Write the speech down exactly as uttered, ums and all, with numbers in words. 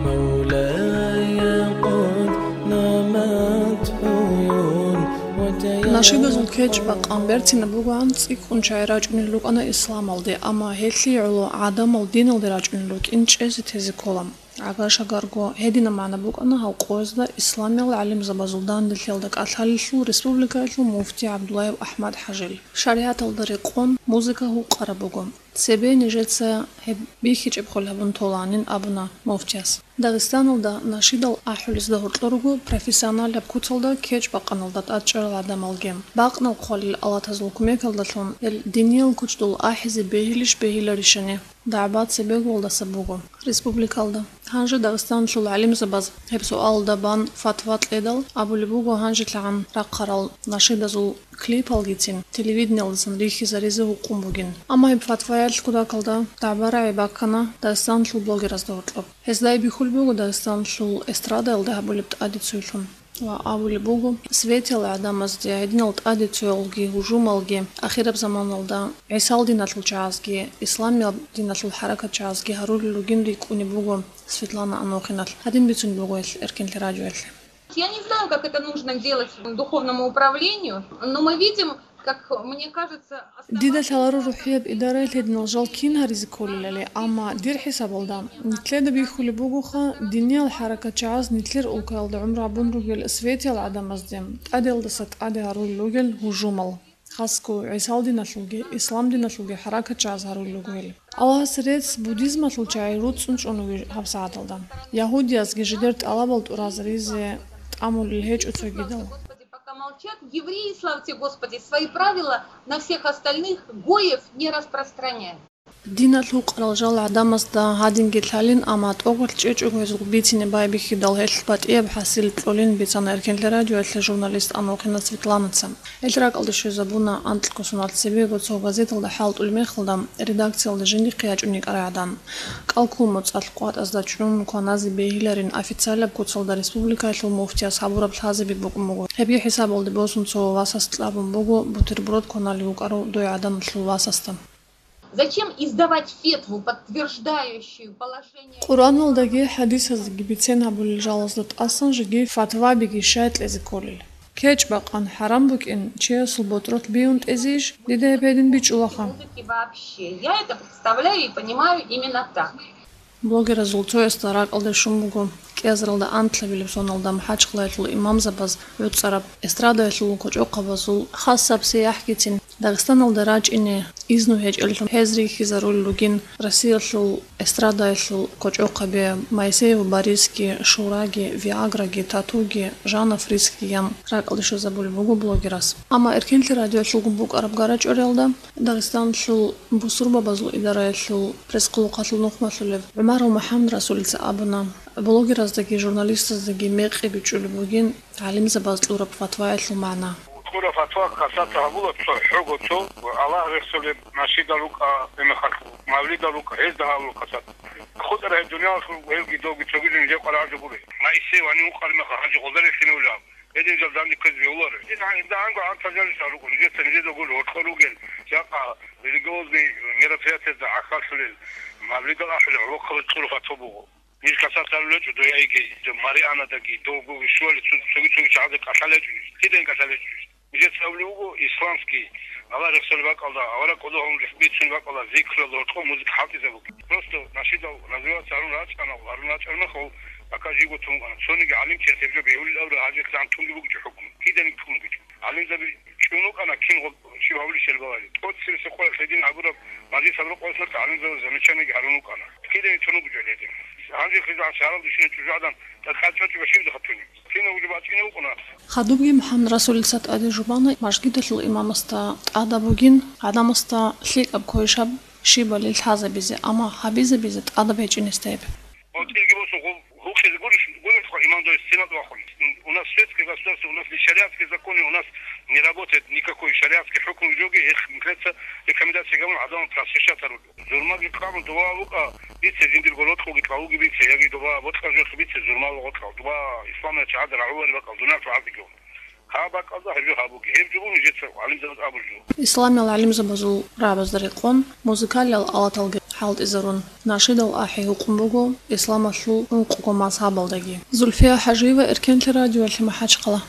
مولاي قد نمت عيون وتيقظ Нашидазул кечӀ-бакъан берцинаб бугоан цӀикӀкӀун чагӀи рачӀунел рукӀана исламалде, амма гьелъие гӀоло гӀадамал диналде рачӀунел рукӀин чӀезе-тезе ккола. ГӀагар-шагарго гьединаб магӀна букӀана гьал къоязда исламиял гӀалимзабазул данделъиялда кӀалъалелъул республикаялъул муфти ГӀабдуллаев АхӀмад-ХӀажил. ШаригӀаталда рекъон музыка гьукъараб буго. Цебе нижеца гьеб бихьичӀеб хъулъ гьабун толанин абуна муфтияс. Дагъистаналда нашидал ахӀулезда гьоркьор руго профессионалаб куцалда кечӀ-бакъаналда тӀадчӀарал гӀадамалги. Бакънал хъвалил алатазул кумекалдалъун гьел диниял кучдул ахӀизе бегьилищ-бегьиларищани дагӀба цебегуялдаса буго республикалда. Гьанже Дагъистаналъул гӀалимзабаз гьеб суалалда бан фатва кьедал абулеб буго, гьанжелъагӀан рахъарал нашидазул клипалгицин телевидениялдасан рихьизаризе гьукъун бугин. Амма гьеб фатваялъ кутакалда дагӀба-рагӀи баккана Дагъистаналъул блогеразда гьоркьоб. Гьезда бихьулеб буго Дагъистаналъул эстрадаялда гьабулеб тӀадицуялъун. Ва абулеб буго, светиял гӀадамазде гьединал тӀадицуялги гьужумалги ахираб заманалда ГӀисал диналъул чагӀазги, исламиял диналъул хӀаракат чагӀазги гьарулел ругин рикӀкӀунеб буго Светлана Анохиналъ. Гьадин бицунеб буго гьелъ Эркенлъи радиоялъе. Я не знаю, как это нужно делать духовному управлению, но мы видим, как мне кажется, Дида лъаларо рухӀияб идараялъ гьединал жал кин гьаризе кколелали, амма дир хӀисабалда, нилъеда бихьулеб бугоха, диниял хӀаракатчагӀаз нилъер улкаялда гӀумру гьабун ругел светиял гӀадамазде тӀадеялдаса тӀаде гьарулел ругел гьужумал, хасго ГӀисал диналъулги, ислам диналъулги хӀаракатчагӀаз гьарулел руго гьел. Аллагьасе рецц, буддизмалъул чагӀи руцӀцӀун чӀун вугев гьабсагӀаталда. Ягьудиязги жидер тӀалабал тӀуразаризе тӀамулел гьечӀо цогидал. Пока молчат, евреи, слава тебе, Господи, свои правила на всех остальных гоев не распространяют. Диналъ гьукъарал жал гӀадамазда гьадинги лъалин, амма тӀокӀалъ чӀечӀого гьезул бицине байбихьидал гьелъ батӀияб хӀасил кьолин бицана Эркенлъи радиоялъе журналист Анохина Светланаца. Гьел ракӀалде щвезабуна анкьго соналъ цебего цо газеталда хӀалтӀулеб мехалда, редакциялда жиндихъе ячӀун йикӀарай гӀадан. КӀалккун моцӀалъ къватӀазда чӀун кваназе бегьиларин официалаб куцалда республикаялъул муфтияс гьабураб лъазаби букӀун буго. Гьебги хӀисабалде босун цо васас кьабун буго бутерброд кваналев вукӀарав дой гӀаданалъул васасда. Зачем издавать фетву, подтверждающую положение? Къуръаналдаги хӀадисаздаги бицен гьабулел жалазда тӀасан жеги фатвабиги щай кьезе кколел? КечӀ-бакъан хӀарам букӀин, чиясул ботӀролъ бигьун тӀезейищ? Дида гьеб гьедин бичӀчӀулаха. Музыки вообще. Я это представляю и понимаю именно так. Блогеразул цоясда ракӀалде щун буго, кӀиазаралда анлъабилеб соналда МахӀачхъалаялъул имамзабаз гӀуцӀараб эстрадаялъул кочӀохъабазул хасаб сияхӀгицин Дагъистаналда рачӀине изну гьечӀеллъун гьез рихьизарулел ругин Россиялъул эстрадаялъул кочӀохъаби Моисеев Борисги, Шураги, Виаграги, Татуги, Жанна Фрискигиян ракӀалде щвезабулеб буго блогерас. Амма Эркенлъи радиоялъулгун букӀараб гара-чӀвариялда Дагъистаналъул бусурбабазул идараялъул пресс-хъулухъалъул нухмалъулев ГӀумаров МухӀаммадрасулица абуна, блогераздаги журналистаздаги мекъи бичӀчӀулеб бугин гӀалимзабаз кьураб фатваялъул магӀна. Кьураб фатва касата гьабула цо, хӀого цо, Аллагь рехсолеб нашидал рукӀа, гьебмехалъ мавлидал рукӀа, гьезда гьабула касата. ХутӀарай дуниялалъул гьелги доги цогидал нижер къваригӀараб жо гури. Моисей ванив вукъараб мехалъ гьанже гъолда рехине улеб. Гьедин жал данде ккезе бегьуларо. Гьедин гьанже гьанго гӀантазарищ гьарукъо, нижеца нижеда гур гьоркьор ругел, жакъа религиозный мероприятиязда гӀахьаллъулел, мавлидал ахӀулел гӀолохъабаз кьураб фатва буго. Ниж касат гьарулел гьечӀо, дой яги, дой Марианадаги, дов гуги щуали цо-, цоги-цоги чагӀазда кӀалъалел гьечӀо ниж. Кидаги кӀалъалел гьечӀо ниж. Нижеца абулеб буго, исламский, Аллагь рехсолеб бакӀалда, авараг кӀодо гьавун рехс бицунеб бакӀалда, зикралда гьоркьоб музыка хӀалтӀизабуги. Просто нашидал называться гьарун рачӀана, гьарун рачӀармахал, пока живго тун вукӀана. Цониги гӀалимчияс гьеб жо бегьулел абураб гьанжелъ тун бугичӀо хӀукму. Киданиги тун бугичӀо. ГӀалимзаби чӀун вукӀана кин гъоб щиб гьабулищали балагье. ТӀоцебесеб къоялъ гьедин гьабураб мажлис гьабураб къоялъ нух гӀалимзабаз замечаниеги гьарун вукӀана. Кидаги тун бугичӀо гьедин. Гьанже хизан шагьаралда щинал чӀужугӀадан тӀад-тӀад чӀвачӀого щиб хъатуни? Кинабго жо бачӀине букӀуна. Хадубги МухӀаммадрасулица тӀаде жубана мажгиталъул имамасда тӀадаб бугин, гӀадамасда лъикӀаб квешаб щибали лъазабизе, амма гьабизабизе тӀадаб гьечӀин гьесда гьеб. ГъотӀилги босун гъо-, гьукъизе гурищ, гурищха имам дой стенад вахун. У нас светское государство, у нас не шариатские законы, у нас не работает никакой шариатский хӀукму жоги, их мехалъ рекомендация гьабун гӀадамал просвещать гьарулел. Зурмаги кьабун, доба букӀа бице, жиндирго рокьулги кьалуги бице, яги доба бокьа жоялъ бице, зурмал гъоркьал, доба исламият чагӀазда рагӀулари бакӀал, дунялъул гӀадигал. Гьаб бакӀалда гьеб жо гьабуги, гьеб жо буго нижеца гӀалимзабаз абулеб жо. Исламиял гӀалимзабазул рагӀабазда рекъон, музыкалиял алаталги хӀалтӀизарун, нашидал ахӀи гьукъун буго исламалъул ункъго мазгьабалдаги. Зульфия ХӀажиева, Эркенлъи радиоялъе МахӀачхъала.